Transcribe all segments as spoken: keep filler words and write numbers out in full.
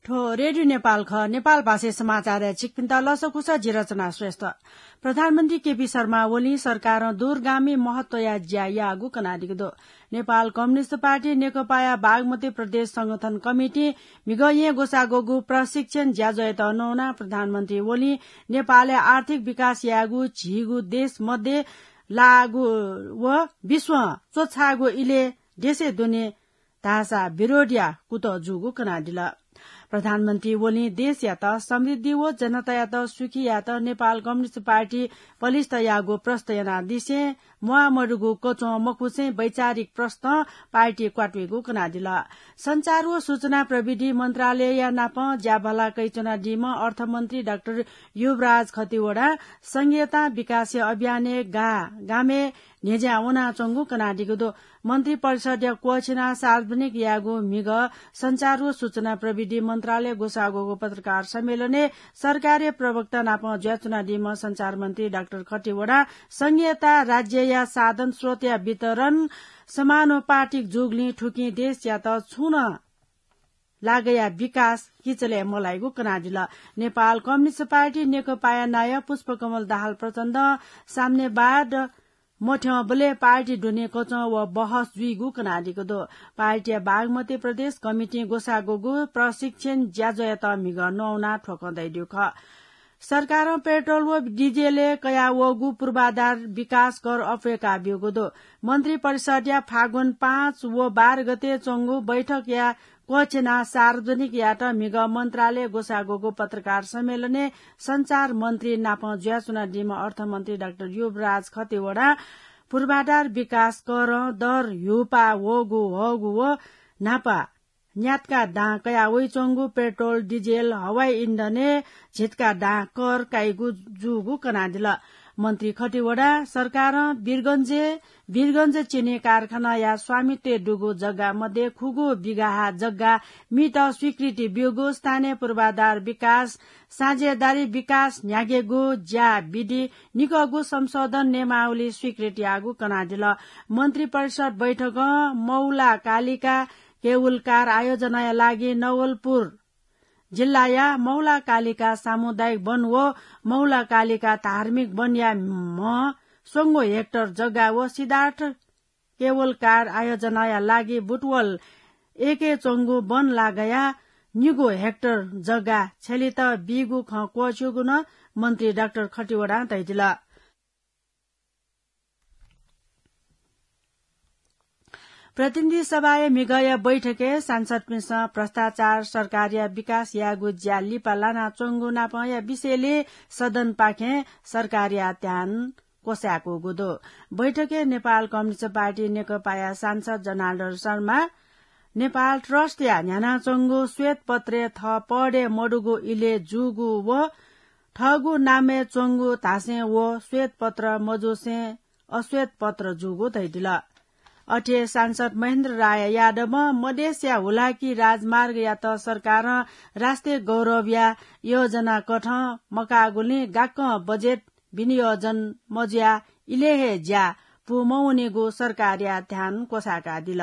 थ्व रेडियो नेपाल खः। नेपाल भाषाय् समाचारय् छिकपिन्त लसकुस, जि रचना श्रेष्ठ। प्रधानमन्त्री केपी शर्मा ओलीं सरकारं दूरगामी महत्वया ज्या याःगु कनादीगु दु। नेपाल कम्युनिस्ट पार्टी नेकपाया बागमती प्रदेश संगठन कमिटिं म्हिगः येँ ग्वसाः ग्वःगु प्रशिक्षण ज्याझ्वःयात नवानाः प्रधानमन्त्री ओलीं नेपालय् आर्थिक विकास यायेगु झीगु देश मध्ये लाःगु व विश्वं च्वछाःगु इलय् देशय् दुने धाःसा विरोधया कुतः जूगु कनादिल। प्रधानमन्त्री ओलीं देशयात समृद्धि व जनतायात सुखी यायेत नेपाल कम्युनिस्ट पार्टी पलिस्त याःगु प्रष्ट यानादिसें म्वाःमदुगु कच्वं मखुसें वैचारिक प्रष्टं पार्टी क्वातुइगु कनादिल। सञ्चार व सूचना प्रविधि मन्त्रालयया नाप ज्याभला कयाच्वनादीम्ह अर्थमन्त्री डाक्टर युवराज खतिवडां संघीयतां विकासया अभियानय् गा गामय् न्ह्यज्यां वनाच्वंगु कनादीगु दु। मन्त्रिपरिषदया क्वःछिनाः सार्वजनिक याःगु म्हिगः सञ्चार व सूचना प्रविधि मन्त्रालयय् ग्वसाः ग्वःगु पत्रकार सम्मेलनय् सरकारी प्रवक्ता नाप जुयाच्वनादीम्ह सञ्चार मन्त्री डाक्टर खतिवडां संघीयता राज्यया साधन स्रोतया वितरण, समानुपातिक जूगुलिं थुकिं देशयात छुं नं लागया विकास किचलय् मलाइगु कनादिल। नेपाल कम्युनिस्ट पार्टी नेकपाया नायः पुष्पकमल दाहाल प्रचण्डं साम्यवाद मथ्यंबलय् पार्टी दुने कच्वं व बहस जुइगु कनादीगु दु। पार्टीया बागमती प्रदेश कमिटिं ग्वसाः ग्वःगु प्रशिक्षण ज्याझ्वःयात म्हिगः नवानाः थ्वकं दइदीगु खः। सरकारं पेट्रोल व डिजेलय् कयावःगु पूर्वाधार विकास कर अप्वय्का ब्यूगु दु। मन्त्रिपरिषदया फागुन पाँच व बाह्र गते च्वंगु बैठकया क्वःछिनाः सार्वजनिक यायेत म्हिगः मन्त्रालयय् ग्वसाः ग्वःगु पत्रकार सम्मेलनय् सञ्चार मन्त्री नाप जुयाच्वनादीम्ह अर्थमन्त्री डाक्टर युवराज खतिवडां पूर्वाधार विकास करं दर ह्यूपाः वःगु हःगु व न्हापा न्यातका दां कयाः वइच्वंगु पेट्रोल, डिजेल, हवाई इन्धनय् झितका दां कर काइगु जूगु कनादिल। मन्त्री खतिवडां सरकारं वीरगंजय् वीरगंज चिनी कारखानाया स्वामित्वय् दुगु जग्गा मध्ये खुगू बिघाहा जग्गा मीत स्वीकृति ब्यूगु, स्थानीय पूर्वाधार विकास, साझेदारी विकास न्ह्याकेगु ज्या विधि निकःगु संशोधन नियमावली स्वीकृति याःगु कनादिल। मन्त्रिपरिषद बैठकं मौला कालिका केवलकार आयोजनाया लागि नवलपुर जिल्लाया मौला कालिका सामुदायिक वन व मौला कालिका धार्मिक वनया म्ह स्वंगू हेक्टर जग्गा व सिद्धार्थ केवलकार आयोजनाया लागि बुटवल एकय् च्वंगु वन लागया निगू हेक्टर जग्गा छ्यलेत बीगु खँ क्वःछिउगु नं मन्त्री डाक्टर खतिवडां धयादिल। प्रतिनिधि सभाया म्हिगःया बैठकय् सांसदपिन्सं भ्रष्टाचार, सरकारया विकास यायेगु ज्या लिपा लानाच्वंगु नापंया विषयलय् सदनपाखें सरकारया ध्यान क्वसाय्कूगु दु। बैठकय् नेपाल कम्युनिस्ट पार्टी नेकपाया सांसद जनार्दन शर्मा, नेपाल ट्रस्टया न्ह्यानाच्वंगु श्वेतपत्रय् थः पदय् मदुगु इलय् जूगु व थःगु नामय् च्वंगु धासें व श्वेतपत्र मजूसें अश्वेतपत्र जूगु धयादिल। अथे सांसद महेन्द्र राय यादवं मधेसया हुलाकी राजमार्गयात सरकारं राष्ट्रिय गौरवया योजना कथं मकाःगुलिं गाक्कं बजेट विनियोजन मजुयाः इलय् हे ज्या पूमवनीगु सरकारया ध्यान क्वसाय्कादिल।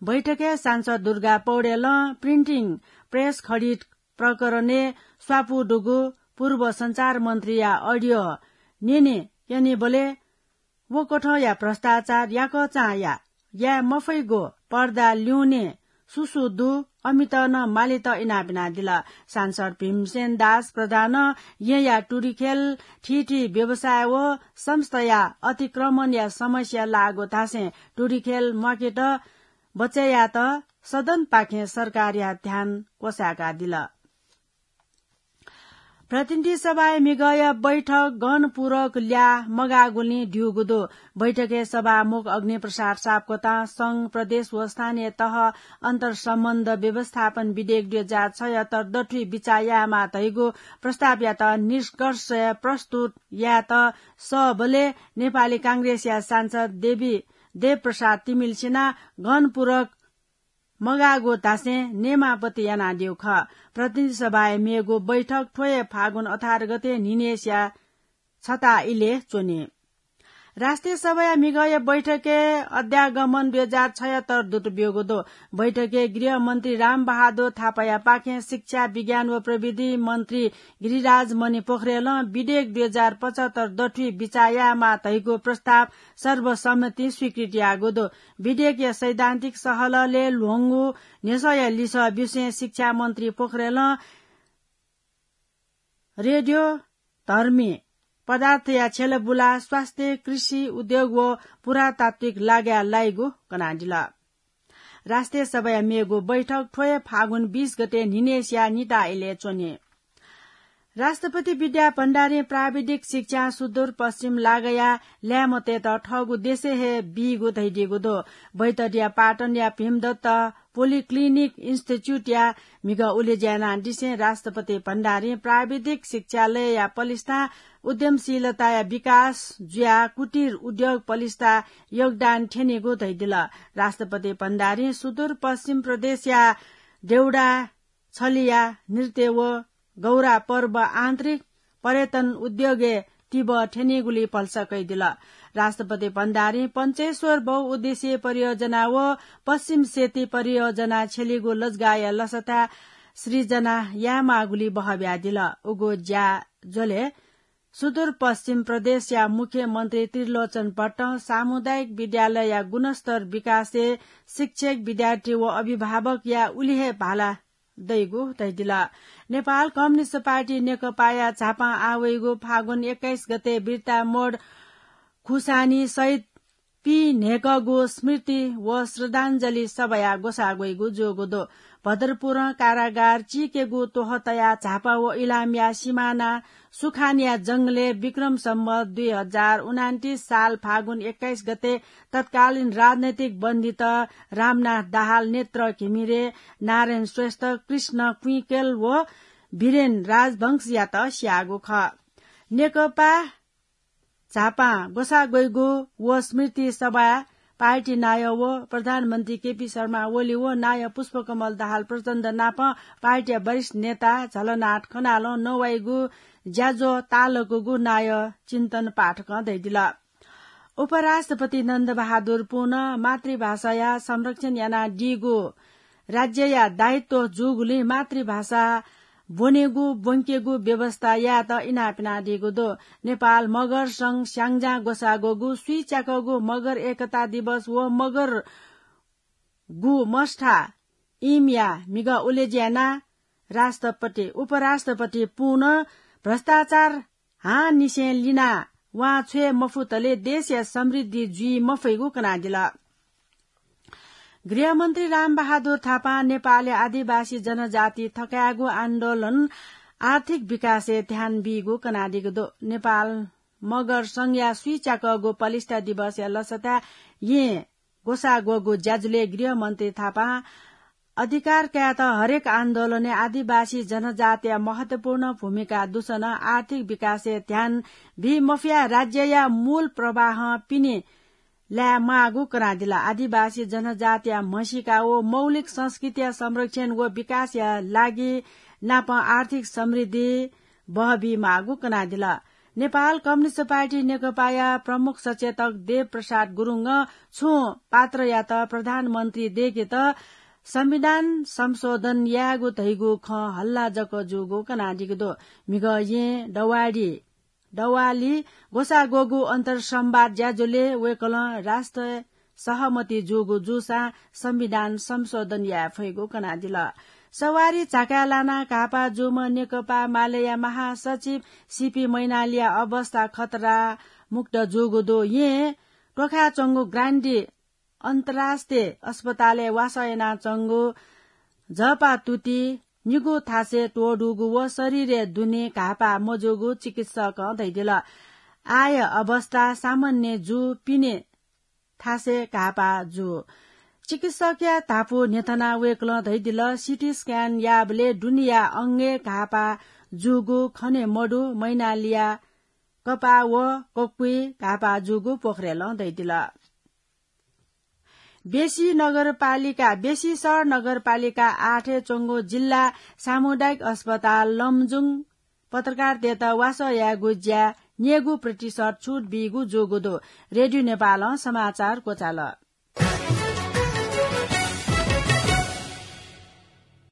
बैठकय् सांसद दुर्गा पौडेलं प्रिन्टिङ प्रेस खरिद प्रकरणय् स्वापू दुगु पूर्व सञ्चार मन्त्रीया अडियो न्यने क्यनीबलय् व कथंया भ्रष्टाचार, याकःचां या, याये मफइगु, पर्दा ल्यूने सु सु दु, अमित नं मालेत इनाप यानादिल। सांसद भीमसेन दास प्रधानं येँया टुरिखेल, थीथी व्यवसाय व संस्थाया अतिक्रमणया समस्या लाःगु धासें टुरिखेल म्वाकेत बचय् यायेत सदनपाखें सरकारया ध्यान क्वसाय्कादिल। प्रतिनिधि सभाया म्हिगःया बैठक गहनपूर्वक ल्याः मगाःगुलिं ध्यूगु दु। बैठकय् सभामुख अग्निप्रसाद सापकोटां संघ, प्रदेश व स्थानीय तह अन्तर्सम्बन्ध व्यवस्थापन विधेयक दुई हजार छयत्तर दथुइ बिचाः यायेमाः धइगु प्रस्तावयात निष्कर्ष प्रस्तुत यायेत सःबलय् नेपाली कांग्रेसया सांसद देवी देवप्रसाद तिमिल्सिनां गहनपूर्वक मगाःगु धासें नेमापत्ति यानादीगु खः। प्रतिनिधि सभाया मेगु बैठक थ्व हे फागुन अठार गते न्हिनय्सिया छता इलय् च्वनी। राष्ट्रिय सभाया म्हिगःया बैठकय् अध्यागमन दुई हजार छयत्तर दूत ब्यूगु दु। बैठकय् गृहमन्त्री रामबहादुर थापाया पाखें शिक्षा, विज्ञान व प्रविधि मन्त्री गिरिराज मणि पोखरेलं विधेयक दुई हजार पचहत्तर दथुइ बिचाः यायेमाः धइगु प्रस्ताव सर्वसम्मतिं स्वीकृत याःगु दु। विधेयकया सैद्धान्तिक सहलहलय् ल्ह्वंगु न्ह्यसःया लिसः बिसें शिक्षा मन्त्री पोखरेलं रेडियो धर्मी पदार्थया छ्यलबुला, स्वास्थ्य, कृषि, उद्योग व पुरातात्विक लागाय् लाइगु कनादिल। राष्ट्रिय सभाया मेगु बैठक थ्व हे फागुन बीस गते न्हिनेसिया निता इलय् च्वनी। राष्ट्रपति विद्या भण्डारीं प्राविधिक शिक्षां सुदूर पश्चिम लागाया ल्याय्म्हतय्त थःगु देशय् हे बीगु धयादीगु दु। बैतडीया पाटनया भीमदत्त पोलिक्लिनिक इन्स्टिच्युटया म्हिगः उलेज्या यानादिसें राष्ट्रपति भण्डारीं प्राविधिक शिक्षालयया पलिस्था, उद्यमशीलताया विकास जुयाः कुटीर उद्योग पलिस्था योगदान थ्यनीगु धयादिल। राष्ट्रपति भण्डारीं सुदूर पश्चिम प्रदेशया देउडा छलिया नृत्य व गौरा पर्व आन्तरिक पर्यटन उद्योगय् तिबः थ्यनीगुली भलसा कयादिल। राष्ट्रपति भण्डारीं पञ्चेश्वर बहुउद्देश्यीय परियोजना व पश्चिम सेती परियोजना छ्यलीगु लजगाःया लसताय् सृजना यायेमाःगुली बहः बियादिल। उगु ज्याझ्वलय् सुदूर पश्चिम प्रदेशया मुख्यमन्त्री त्रिलोचन भट्टं सामुदायिक विद्यालयया गुणस्तर विकासय् शिक्षक, विद्यार्थी व अभिभावकया उलि हे भाला दइगु धयादिल। नेपाल कम्युनिस्ट पार्टी नेकपाया झापां आः वइगु फागुन एक्काइस गते बिर्ता मोड खुसानी शहीद पीन्हय्कःगु स्मृति व श्रद्धाञ्जली सभाया ग्वसाः ग्वइगु जूगु दु। भद्रपुरं कारागार चीकेगु त्वहः तयाः झापा व इलामया सिमाना सुखानया जंगलय् विक्रम सम्वत दुई हजार उनान्तिस साल फागुन एक्काइस गते तत्कालीन राजनैतिक बन्दीत रामनाथ दाहाल, नेत्र घिमिरे, नारायण श्रेष्ठ, कृष्ण कुइकेल व वीरेन राजवंशयात स्याःगु खः। नेकपा झापां ग्वसाः ग्वइगु व स्मृति सभाय् पार्टी नायः व प्रधानमन्त्री केपी शर्मा ओली व नायः पुष्पकमल दाहाल प्रचण्ड नाप पार्टीया वरिष्ठ नेता झलनाथ खनालं नवाइगु ज्याझ्वः ताःलाकूगु नायः चिन्तन पाठकं धयादिल। उपराष्ट्रपति नन्दबहादुर पुनं मातृभाषाया संरक्षण यानादीगु राज्यया दायित्व जूगुलिं मातृभाषा ब्वनेगु, ब्वंकेगु व्यवस्था यायेत इनाप यानादीगु दु। नेपाल मगर संघ स्याङ्जां ग्वसाः ग्वःगु स्वीच्याकःगु मगर एकता दिवस व मगरगु मस्था इमया म्हिगः उलेज्या यानाः राष्ट्रपति, उपराष्ट्रपति पुनं भ्रष्टाचार हांनिसें लिनाः वां छ्वये मफुतले देशया समृद्धि जुइ मफइगु कनादिल। गृहमन्त्री रामबहादुर थापां नेपालया आदिवासी जनजाति थकायेगु आन्दोलन आर्थिक विकासय् ध्यान बीगु कनादीगु दु। नेपाल मगर संघया स्वीच्याकःगु पलिस्था दिवसया लसताय् येँ ग्वसाः ग्वःगु ज्याझ्वलय् गृहमन्त्री थापां अधिकार कायेत हरेक आन्दोलनय् आदिवासी जनजातिया महत्वपूर्ण भूमिका दुसन आर्थिक विकासय् ध्यान बी मफयाः राज्यया मूल प्रवाहं पिने लाये माःगु कनादिल। आदिवासी जनजातिया म्हसीका व मौलिक संस्कृतिया संरक्षण व विकासया लागि नापं आर्थिक समृद्धि बहबी माःगु कनादिल। नेपाल कम्युनिस्ट पार्टी नेकपाया प्रमुख सचेतक देव प्रसाद गुरुङं छुं पात्रयात प्रधानमन्त्री दय्केत संविधान संशोधन यायेगु धइगु खँ हल्ला जक जूगु कनादीगु दु। म्हिगः येँ दवाडी दवाली ग्वसाः ग्वःगु अन्तर्संवाद ज्याझ्वलय् वय्कलं राष्ट्र सहमति जूगु जूसां संविधान संशोधन याये फइगु कनादिल। सवारी झाकाय् लानाः घाःपाः जूम्ह नेकपा मालेया महासचिव सीपी मैनालीया अवस्था खतरा मुक्त जूगु दु। येँ त्वखाय् च्वंगु ग्रान्डी अन्तर्राष्ट्रिय अस्पतालय् वासः यानाच्वंगु झःपाः तुति निगू थासय् त्वःदूगु व शरीरय् दुने घाःपाः मजूगु चिकित्सकं धयादिल। आःया अवस्था सामान्य जू, पिने थासय् घाःपाः जू। चिकित्सकया धापू न्ह्यथनाः वय्कलं धयादिल, सिटी स्क्यान याःबलय् दुनेया अंगय् घाःपाः जूगु खने मदु। मैनालीया कपाः व कक्वय् घाःपाः जूगु पोखरेलं धयादिल। बेसी नगरपालिका, बेसीसर नगरपालिका आठय् च्वंगु जिल्ला सामुदायिक अस्पताल लमजुङ पत्रकारतय्त वासः यायेगु ज्या न्येगू प्रतिशत छुट बीगु जूगु दु। रेडियो नेपालं समाचार क्वचाल।